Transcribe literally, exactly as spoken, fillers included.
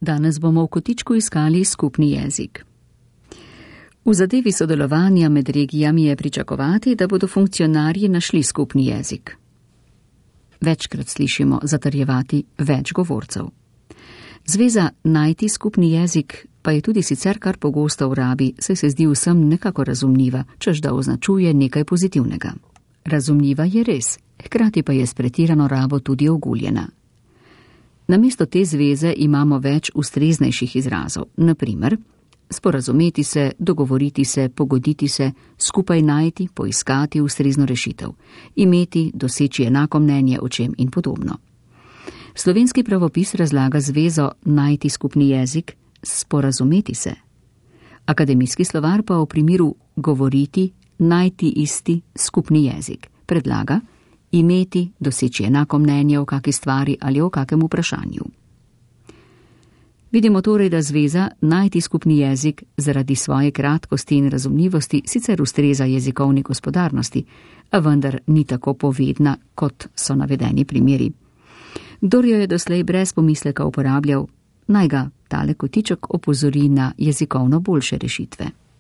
Danes bomo v kotičku iskali skupni jezik. V zadevi sodelovanja med regijami je pričakovati, da bodo funkcionarji našli skupni jezik. Večkrat slišimo zatrjevati več govorcev. Zveza najti skupni jezik pa je tudi sicer kar pogosto v rabi, saj se zdi vsem nekako razumljiva, čež da označuje nekaj pozitivnega. Razumljiva je res, hkrati pa je s pretirano rabo tudi oguljena. Namesto te zveze imamo več ustreznejših izrazov, na primer sporazumeti se, dogovoriti se, pogoditi se, skupaj najti, poiskati ustrezno rešitev, imeti, doseči enako mnenje o čem in podobno. Slovenski pravopis razlaga zvezo najti skupni jezik, sporazumeti se. Akademijski slovar pa v primeru govoriti, najti isti skupni jezik predlaga imeti, doseči enako mnenje o kaki stvari ali o kakem vprašanju. Vidimo torej, da zveza najti skupni jezik zaradi svoje kratkosti in razumljivosti sicer ustreza jezikovni gospodarnosti, a vendar ni tako povedna, kot so navedeni primeri. Kdor jo je doslej brez pomisleka uporabljal, naj ga tale kotiček opozori na jezikovno boljše rešitve.